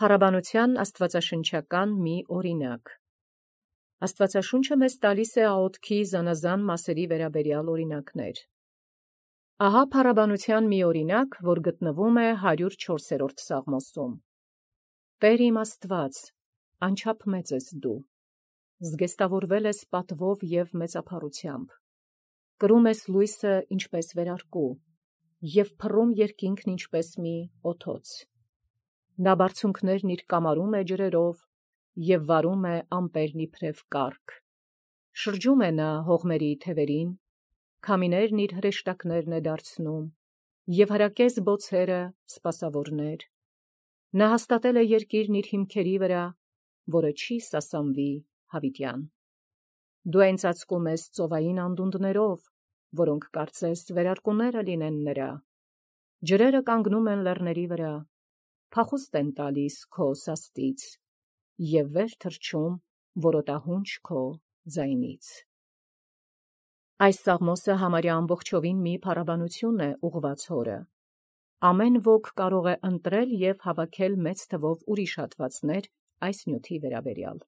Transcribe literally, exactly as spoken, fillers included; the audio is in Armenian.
Փառաբանության աստվածաշնչական մի օրինակ։ Աստվածաշունչը մեզ տալիս է աղոթքի զանազան մասերի վերաբերյալ օրինակներ։ Ահա փառաբանության մի օրինակ, որ գտնվում է հարյուր չորսերորդ Սաղմոսում։ Տեր իմ Աստված, անչափ մեծ ես դու, զգեստավորվել ես պատվով և մեծափառությամբ, կրում ես լույսը ինչպես վերարկու, և փռում երկինքն ինչպես մի օթոց։ Նա բարձունքներն իր կամարում է ջրերով, և վարում է ամպերն իբրև կառք։ Շրջում է նա հողմերի թևերին, քամիներն իր հրեշտակներն է դարձնում, և հրակեց բոցերը սպասավորներ։ Նա հաստատել է երկիրն իր հիմքերի վրա, որը չի սասանվի հավիտյան։ Դու այն ծածկում ես ծովային անդունդներով, որոնք կարծես վերարկուները լինեն նրա։ Ջրերը կանգնում են լեռների վրա, փախուստ են տալիս քո սաստից, և վեր թռչում որոտահունչ քո ձայնից։ Այս սաղմոսը համարյա ամբողջովին մի փառաբանություն է ուղղված Հորը։ Ամեն ոք կարող է ընտրել և հավաքել մեծ թվով ուրիշ հատվածներ այս նյութի վերաբերյալ։